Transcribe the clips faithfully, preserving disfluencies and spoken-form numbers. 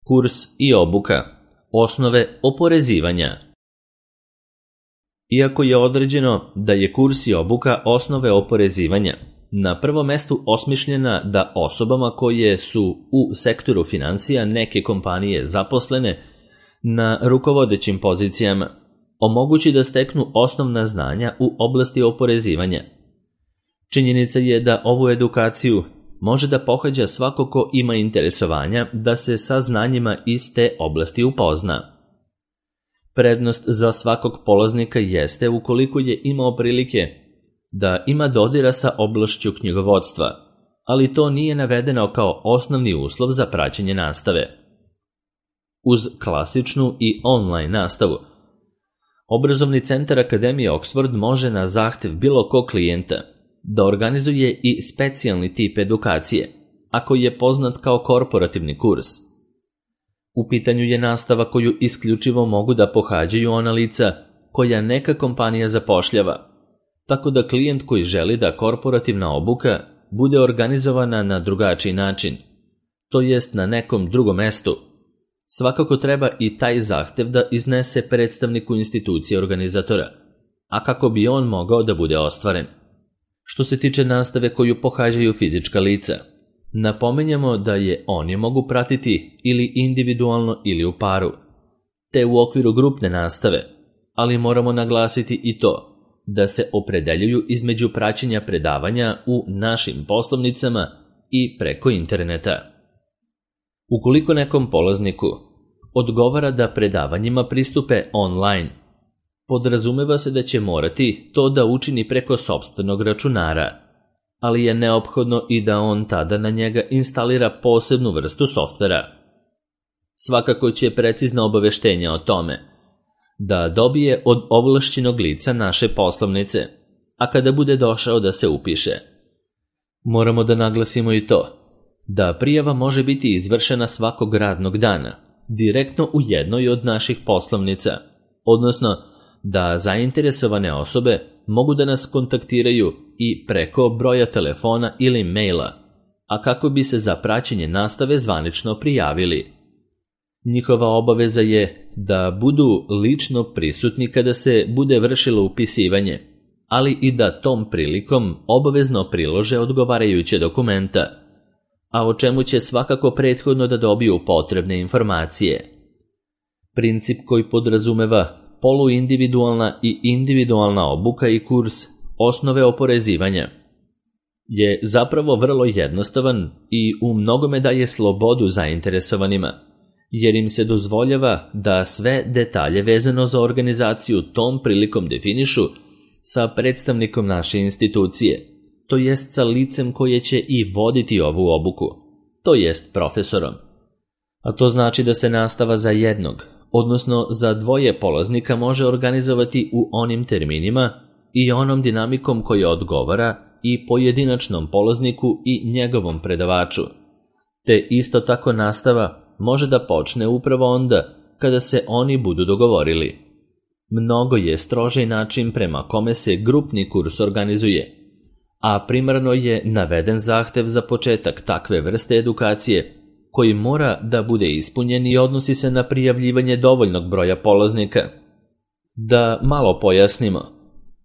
Kurs i obuka. Osnove oporezivanja. Iako je određeno da je kurs i obuka osnove oporezivanja, na prvom mestu osmišljena da osobama koje su u sektoru finansija neke kompanije zaposlene na rukovodećim pozicijama omogući da steknu osnovna znanja u oblasti oporezivanja. Činjenica je da ovu edukaciju može da pohađa svako ko ima interesovanja da se sa znanjima iz te oblasti upozna. Prednost za svakog polaznika jeste ukoliko je imao prilike da ima dodira sa oblašću knjigovodstva, ali to nije navedeno kao osnovni uslov za praćenje nastave. Uz klasičnu i online nastavu, Obrazovni centar Akademije Oxford može na zahtev bilo kog klijenta da organizuje i specijalni tip edukacije, ako je poznat kao korporativni kurs. U pitanju je nastava koju isključivo mogu da pohađaju ona lica koja neka kompanija zapošljava, tako da klijent koji želi da korporativna obuka bude organizovana na drugačiji način, to jest na nekom drugom mestu, svakako treba i taj zahtev da iznese predstavniku institucije organizatora, a kako bi on mogao da bude ostvaren. Što se tiče nastave koju pohađaju fizička lica, napominjemo da je oni mogu pratiti ili individualno ili u paru, te u okviru grupne nastave, ali moramo naglasiti i to da se opredeljuju između praćenja predavanja u našim poslovnicama i preko interneta. Ukoliko nekom polazniku odgovara da predavanjima pristupe online, podrazumeva se da će morati to da učini preko sopstvenog računara, ali je neophodno i da on tada na njega instalira posebnu vrstu softvera. Svakako će precizna obaveštenja o tome da dobije od ovlašćenog lica naše poslovnice, a kada bude došao da se upiše. Moramo da naglasimo i to da prijava može biti izvršena svakog radnog dana, direktno u jednoj od naših poslovnica, odnosno da zainteresovane osobe mogu da nas kontaktiraju i preko broja telefona ili maila, a kako bi se za praćenje nastave zvanično prijavili. Njihova obaveza je da budu lično prisutni kada se bude vršilo upisivanje, ali i da tom prilikom obavezno prilože odgovarajuće dokumenta, a o čemu će svakako prethodno da dobiju potrebne informacije. Princip koji podrazumeva poluindividualna i individualna obuka i kurs osnove oporezivanja je zapravo vrlo jednostavan i u mnogome daje slobodu zainteresovanima, jer im se dozvoljava da sve detalje vezano za organizaciju tom prilikom definišu sa predstavnikom naše institucije, to jest sa licem koje će i voditi ovu obuku, to jest profesorom. A to znači da se nastava za jednog, odnosno za dvoje polaznika može organizovati u onim terminima i onom dinamikom koja odgovara i pojedinačnom polazniku i njegovom predavaču, te isto tako nastava može da počne upravo onda kada se oni budu dogovorili. Mnogo je strožiji način prema kome se grupni kurs organizuje, a primarno je naveden zahtev za početak takve vrste edukacije koji mora da bude ispunjen i odnosi se na prijavljivanje dovoljnog broja polaznika. Da malo pojasnimo,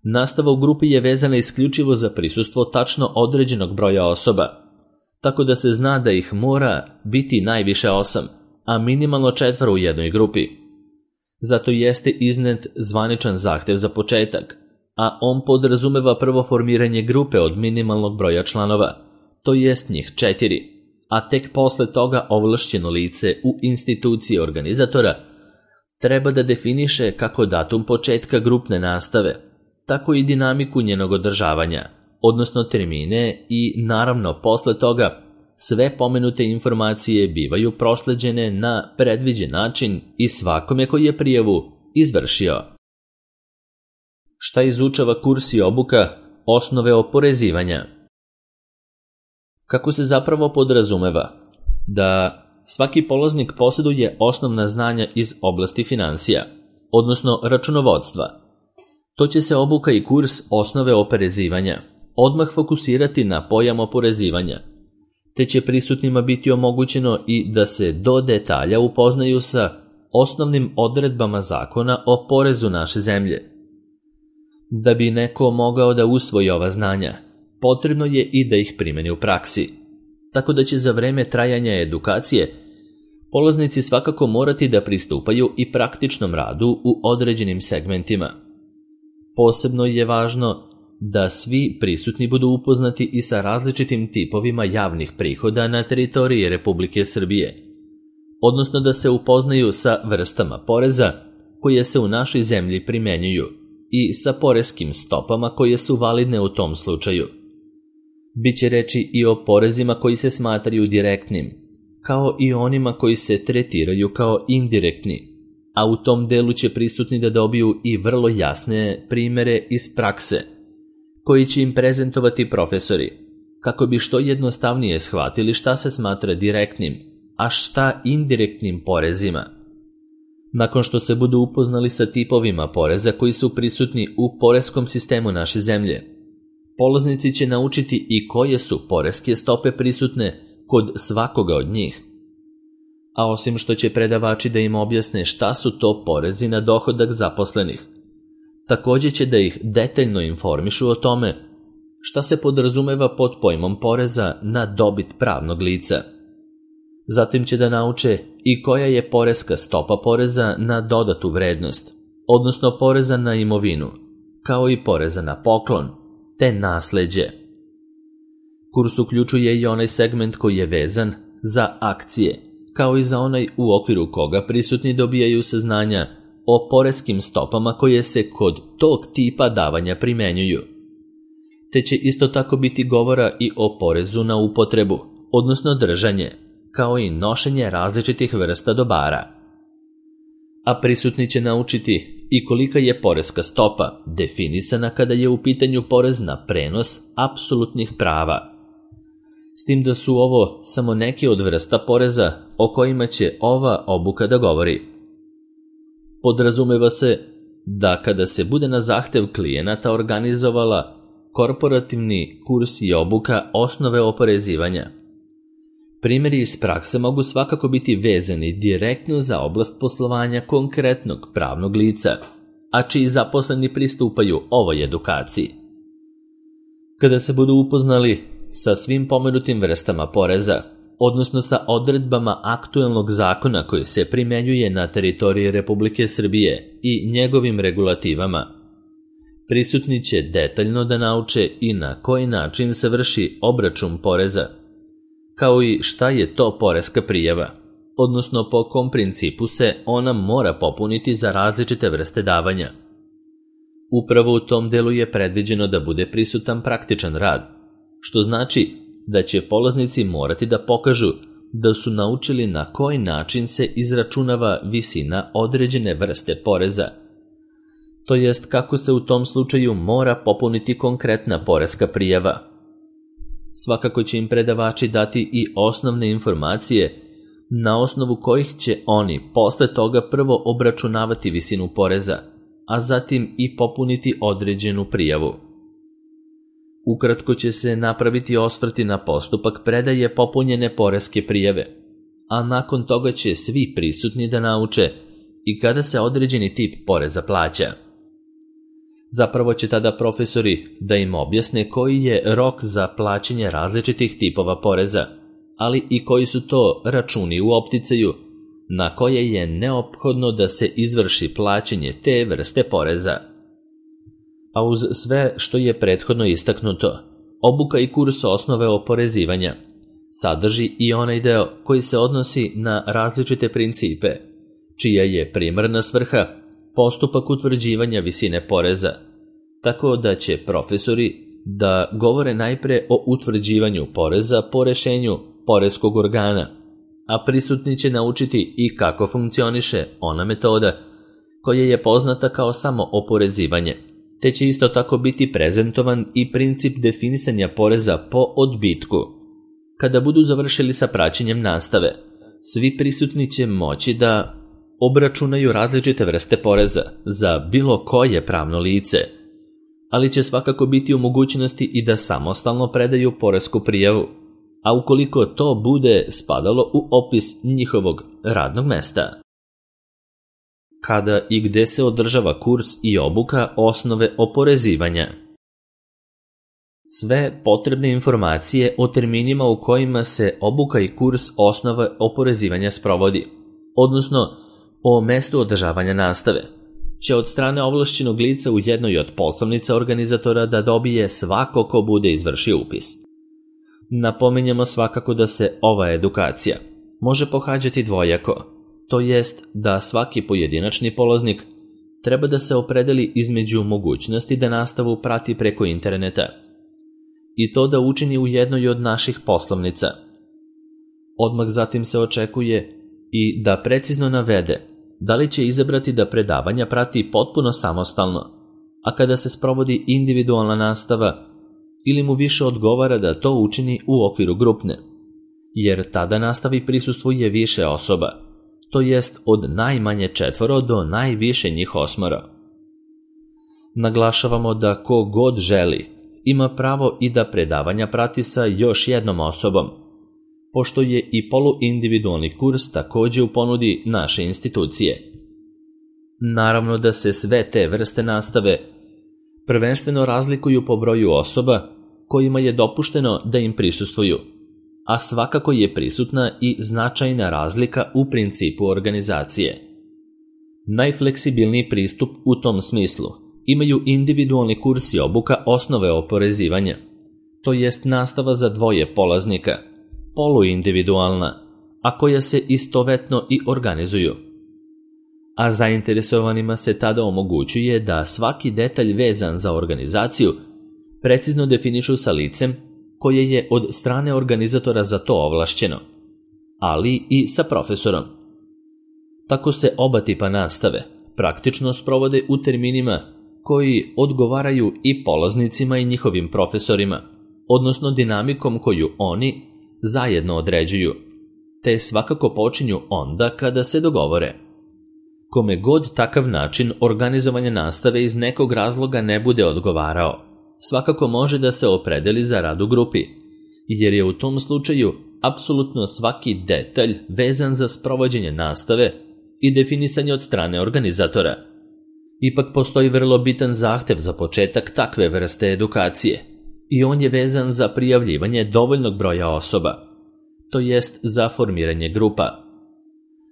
nastava u grupi je vezana isključivo za prisustvo tačno određenog broja osoba, tako da se zna da ih mora biti najviše osam, a minimalno četvoro u jednoj grupi. Zato jeste iznet zvaničan zahtev za početak, a on podrazumeva prvo formiranje grupe od minimalnog broja članova, to jest njih četiri, a tek posle toga ovlašćeno lice u instituciji organizatora treba da definiše kako datum početka grupne nastave, tako i dinamiku njenog održavanja, odnosno termine i naravno posle toga sve pomenute informacije bivaju prosleđene na predviđen način i svakome koji je prijavu izvršio. Šta izučava kurs i obuka osnove oporezivanja? Kako se zapravo podrazumeva da svaki polaznik posjeduje osnovna znanja iz oblasti finansija, odnosno računovodstva, to će se obuka i kurs osnove oporezivanja odmah fokusirati na pojam oporezivanja, te će prisutnima biti omogućeno i da se do detalja upoznaju sa osnovnim odredbama zakona o porezu naše zemlje. Da bi neko mogao da usvoji ova znanja, potrebno je i da ih primeni u praksi, tako da će za vreme trajanja edukacije polaznici svakako morati da pristupaju i praktičnom radu u određenim segmentima. Posebno je važno da svi prisutni budu upoznati i sa različitim tipovima javnih prihoda na teritoriji Republike Srbije, odnosno da se upoznaju sa vrstama poreza koje se u našoj zemlji primenjuju i sa poreskim stopama koje su validne u tom slučaju. Biće reči i o porezima koji se smatraju direktnim, kao i onima koji se tretiraju kao indirektni, a u tom delu će prisutni da dobiju i vrlo jasne primere iz prakse, koji će im prezentovati profesori, kako bi što jednostavnije shvatili šta se smatra direktnim, a šta indirektnim porezima. Nakon što se budu upoznali sa tipovima poreza koji su prisutni u poreskom sistemu naše zemlje, polaznici će naučiti i koje su poreske stope prisutne kod svakoga od njih. A osim što će predavači da im objasne šta su to porezi na dohodak zaposlenih, također će da ih detaljno informišu o tome šta se podrazumeva pod pojmom poreza na dobit pravnog lica. Zatim će da nauče i koja je poreska stopa poreza na dodatu vrednost, odnosno poreza na imovinu, kao i poreza na poklon, te nasleđe. Kurs uključuje i onaj segment koji je vezan za akcije, kao i za onaj u okviru koga prisutni dobijaju saznanja o poreskim stopama koje se kod tog tipa davanja primenjuju. Te će isto tako biti govora i o porezu na upotrebu, odnosno držanje, kao i nošenje različitih vrsta dobara. A prisutni će naučiti i kolika je poreska stopa definisana kada je u pitanju porez na prenos apsolutnih prava. S tim da su ovo samo neke od vrsta poreza o kojima će ova obuka da govori. Podrazumeva se da kada se bude na zahtev klijenata organizovala korporativni kurs i obuka osnove oporezivanja, primjeri iz prakse mogu svakako biti vezani direktno za oblast poslovanja konkretnog pravnog lica, a čiji zaposleni pristupaju ovoj edukaciji. Kada se budu upoznali sa svim pomenutim vrstama poreza, odnosno sa odredbama aktuelnog zakona koji se primenjuje na teritoriji Republike Srbije i njegovim regulativama, prisutni će detaljno da nauče i na koji način se vrši obračun poreza, kao i šta je to poreska prijava, odnosno po kom principu se ona mora popuniti za različite vrste davanja. Upravo u tom delu je predviđeno da bude prisutan praktičan rad, što znači da će polaznici morati da pokažu da su naučili na koji način se izračunava visina određene vrste poreza, to jest kako se u tom slučaju mora popuniti konkretna poreska prijava. Svakako će im predavači dati i osnovne informacije na osnovu kojih će oni posle toga prvo obračunavati visinu poreza, a zatim i popuniti određenu prijavu. Ukratko će se napraviti osvrti na postupak predaje popunjene poreske prijave, a nakon toga će svi prisutni da nauče i kada se određeni tip poreza plaća. Zapravo će tada profesori da im objasne koji je rok za plaćanje različitih tipova poreza, ali i koji su to računi u opticaju na koje je neophodno da se izvrši plaćanje te vrste poreza. A uz sve što je prethodno istaknuto, obuka i kurs osnove oporezivanja sadrži i onaj deo koji se odnosi na različite principe, čija je primarna svrha postupak utvrđivanja visine poreza, tako da će profesori da govore najpre o utvrđivanju poreza po rešenju poreskog organa, a prisutni će naučiti i kako funkcioniše ona metoda koja je poznata kao samo oporezivanje, te će isto tako biti prezentovan i princip definisanja poreza po odbitku. Kada budu završili sa praćenjem nastave, svi prisutni će moći da obračunaju različite vrste poreza za bilo koje pravno lice, ali će svakako biti u mogućnosti i da samostalno predaju poresku prijavu, a ukoliko to bude spadalo u opis njihovog radnog mesta. Kada i gde se održava kurs i obuka osnove oporezivanja? Sve potrebne informacije o terminima u kojima se obuka i kurs osnove oporezivanja sprovodi, odnosno o mestu održavanja nastave, će od strane ovlašćenog lica u jednoj od poslovnica organizatora da dobije svako ko bude izvršio upis. Napominjemo svakako da se ova edukacija može pohađati dvojako, to jest da svaki pojedinačni polaznik treba da se opredeli između mogućnosti da nastavu prati preko interneta i to da učini u jednoj od naših poslovnica. Odmah zatim se očekuje i da precizno navede da li će izabrati da predavanja prati potpuno samostalno, a kada se sprovodi individualna nastava, ili mu više odgovara da to učini u okviru grupne, jer tada nastavi prisustvuje više osoba, to jest od najmanje četvoro do najviše njih osmoro. Naglašavamo da ko god želi ima pravo i da predavanja prati sa još jednom osobom, pošto je i poluindividualni kurs također u ponudi naše institucije. Naravno da se sve te vrste nastave prvenstveno razlikuju po broju osoba kojima je dopušteno da im prisustvuju, a svakako je prisutna i značajna razlika u principu organizacije. Najfleksibilniji pristup u tom smislu imaju individualni kurs i obuka osnove oporezivanja, to jest nastava za dvoje polaznika, poluindividualna, a koja se istovetno i organizuju. A zainteresovanima se tada omogućuje da svaki detalj vezan za organizaciju precizno definišu sa licem koje je od strane organizatora za to ovlašćeno, ali i sa profesorom. Tako se oba tipa nastave praktično sprovode u terminima koji odgovaraju i polaznicima i njihovim profesorima, odnosno dinamikom koju oni zajedno određuju, te svakako počinju onda kada se dogovore. Kome god takav način organizovanja nastave iz nekog razloga ne bude odgovarao, svakako može da se opredeli za rad u grupi, jer je u tom slučaju apsolutno svaki detalj vezan za sprovođenje nastave i definisanje od strane organizatora. Ipak postoji vrlo bitan zahtev za početak takve vrste edukacije i on je vezan za prijavljivanje dovoljnog broja osoba, to jest za formiranje grupa.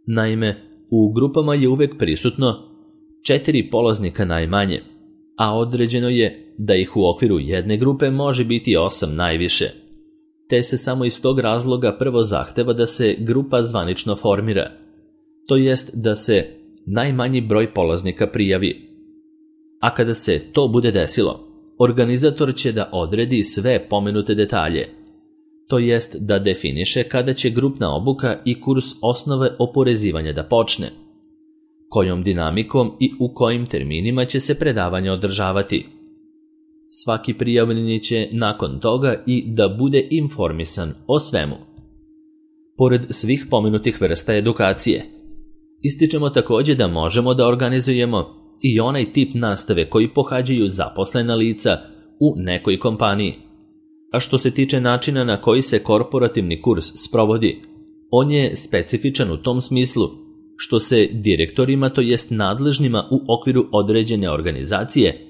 Naime, u grupama je uvek prisutno četiri polaznika najmanje, a određeno je da ih u okviru jedne grupe može biti osam najviše, te se samo iz tog razloga prvo zahteva da se grupa zvanično formira, to jest da se najmanji broj polaznika prijavi. A kada se to bude desilo, organizator će da odredi sve pomenute detalje, to jest da definiše kada će grupna obuka i kurs osnove oporezivanja da počne, kojom dinamikom i u kojim terminima će se predavanja održavati. Svaki prijavljeni će nakon toga i da bude informisan o svemu. Pored svih pomenutih vrsta edukacije, ističemo također da možemo da organizujemo i onaj tip nastave koji pohađaju zaposlena lica u nekoj kompaniji. A što se tiče načina na koji se korporativni kurs sprovodi, on je specifičan u tom smislu što se direktorima, to jest nadležnima u okviru određene organizacije,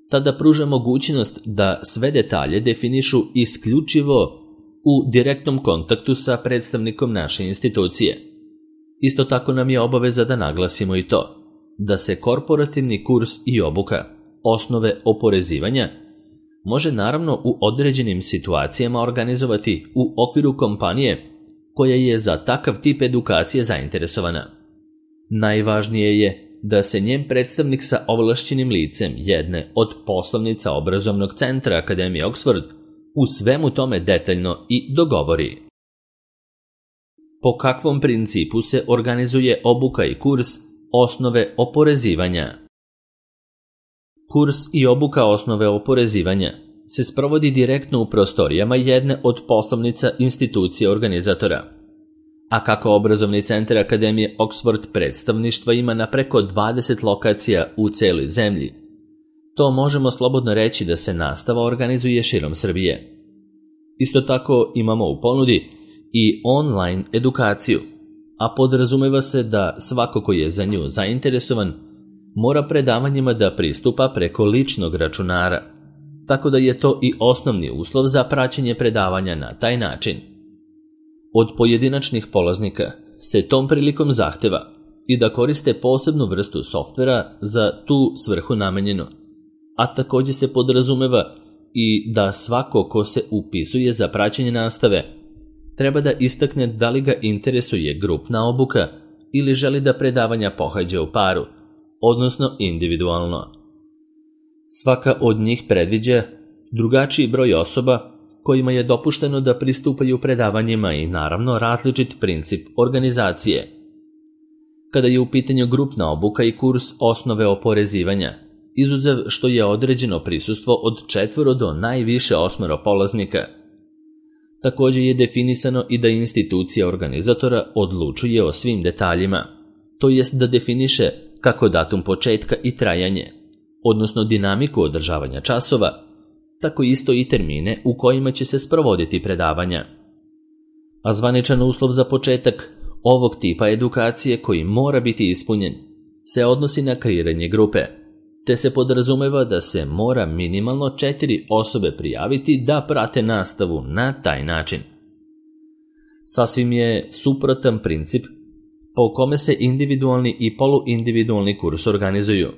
tada pruža mogućnost da sve detalje definišu isključivo u direktnom kontaktu sa predstavnikom naše institucije. Isto tako nam je obaveza da naglasimo i to, da se korporativni kurs i obuka osnove oporezivanja može naravno u određenim situacijama organizovati u okviru kompanije koja je za takav tip edukacije zainteresovana. Najvažnije je da se njen predstavnik sa ovlašćenim licem jedne od poslovnica obrazovnog centra Akademije Oxford u svemu tome detaljno i dogovori. Po kakvom principu se organizuje obuka i kurs osnove oporezivanja? Kurs i obuka osnove oporezivanja se sprovodi direktno u prostorijama jedne od poslovnica institucije organizatora. A kako obrazovni centar Akademije Oxford predstavništva ima na preko dvadeset lokacija u celoj zemlji, to možemo slobodno reći da se nastava organizuje širom Srbije. Isto tako imamo u ponudi i online edukaciju, a podrazumeva se da svako ko je za nju zainteresovan mora predavanjima da pristupa preko ličnog računara, tako da je to i osnovni uslov za praćenje predavanja na taj način. Od pojedinačnih polaznika se tom prilikom zahteva i da koriste posebnu vrstu softvera za tu svrhu namenjenu, a također se podrazumeva i da svako ko se upisuje za praćenje nastave treba da istakne da li ga interesuje grupna obuka ili želi da predavanja pohađa u paru, odnosno individualno. Svaka od njih predviđa drugačiji broj osoba kojima je dopušteno da pristupaju predavanjima i naravno različit princip organizacije. Kada je u pitanju grupna obuka i kurs osnove oporezivanja, izuzev što je određeno prisustvo od četvoro do najviše osmero polaznika. Također je definisano i da institucija organizatora odlučuje o svim detaljima, to jest da definiše kako datum početka i trajanje, odnosno dinamiku održavanja časova, tako isto i termine u kojima će se sprovoditi predavanja. A zvaničan uslov za početak ovog tipa edukacije koji mora biti ispunjen se odnosi na kreiranje grupe, te se podrazumeva da se mora minimalno četiri osobe prijaviti da prate nastavu na taj način. Sasvim je suprotan princip po kome se individualni i poluindividualni kurs organizuju,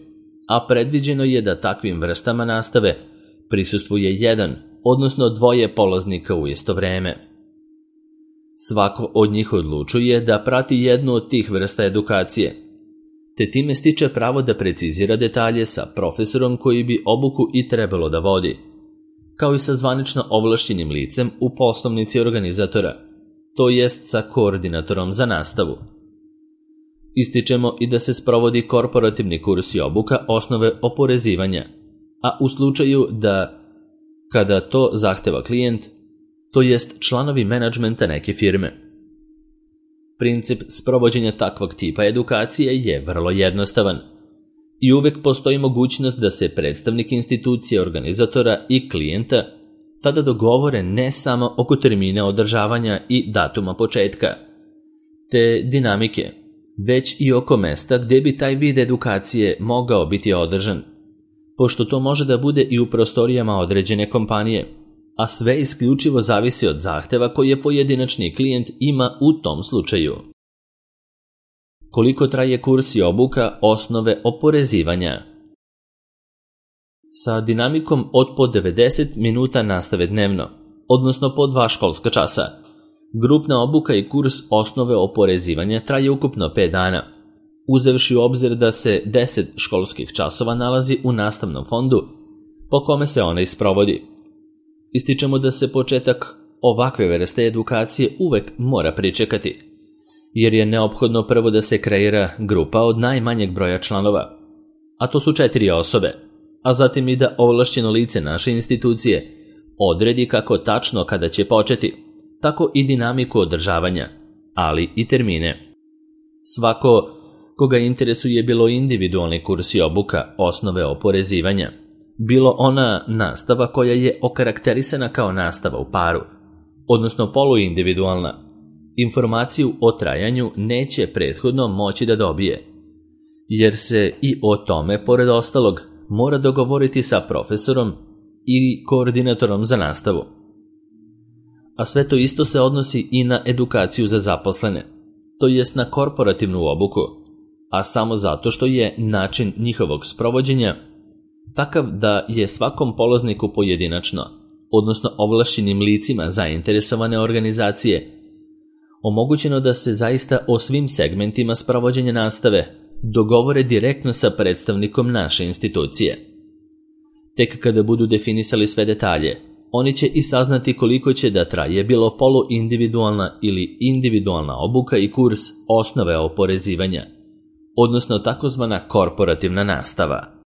a predviđeno je da takvim vrstama nastave prisustvuje jedan, odnosno dvoje polaznika u isto vreme. Svako od njih odlučuje da prati jednu od tih vrsta edukacije, te time stiče pravo da precizira detalje sa profesorom koji bi obuku i trebalo da vodi, kao i sa zvanično ovlašćenim licem u poslovnici organizatora, to jest sa koordinatorom za nastavu. Ističemo i da se sprovodi korporativni kurs i obuka osnove oporezivanja, a u slučaju da, kada to zahteva klijent, to jest članovi menadžmenta neke firme. Princip sprovođenja takvog tipa edukacije je vrlo jednostavan i uvek postoji mogućnost da se predstavnik institucije organizatora i klijenta tada dogovore ne samo oko termina održavanja i datuma početka, te dinamike, već i oko mesta gdje bi taj vid edukacije mogao biti održan, pošto to može da bude i u prostorijama određene kompanije, a sve isključivo zavisi od zahteva koje pojedinačni klijent ima u tom slučaju. Koliko traje kurs i obuka osnove oporezivanja? Sa dinamikom od po devedeset minuta nastave dnevno, odnosno po dva školska časa, grupna obuka i kurs osnove oporezivanja traje ukupno pet dana, uzevši u obzir da se deset školskih časova nalazi u nastavnom fondu po kome se ona isprovodi. Ističemo da se početak ovakve vrste edukacije uvek mora pričekati, jer je neophodno prvo da se kreira grupa od najmanjeg broja članova, a to su četiri osobe, a zatim i da ovlašćeno lice naše institucije odredi kako tačno kada će početi, tako i dinamiku održavanja, ali i termine. Svako koga interesuje bilo individualni kurs i obuka osnove oporezivanja, bilo ona nastava koja je okarakterisana kao nastava u paru, odnosno poluindividualna, informaciju o trajanju neće prethodno moći da dobije, jer se i o tome, pored ostalog, mora dogovoriti sa profesorom i koordinatorom za nastavu. A sve to isto se odnosi i na edukaciju za zaposlene, to jest na korporativnu obuku, a samo zato što je način njihovog sprovođenja takav da je svakom polazniku pojedinačno, odnosno ovlašćenim licima zainteresovane organizacije, omogućeno da se zaista o svim segmentima sprovođenja nastave dogovore direktno sa predstavnikom naše institucije. Tek kada budu definisali sve detalje, oni će i saznati koliko će da traje bilo poluindividualna ili individualna obuka i kurs osnove oporezivanja, odnosno takozvana korporativna nastava.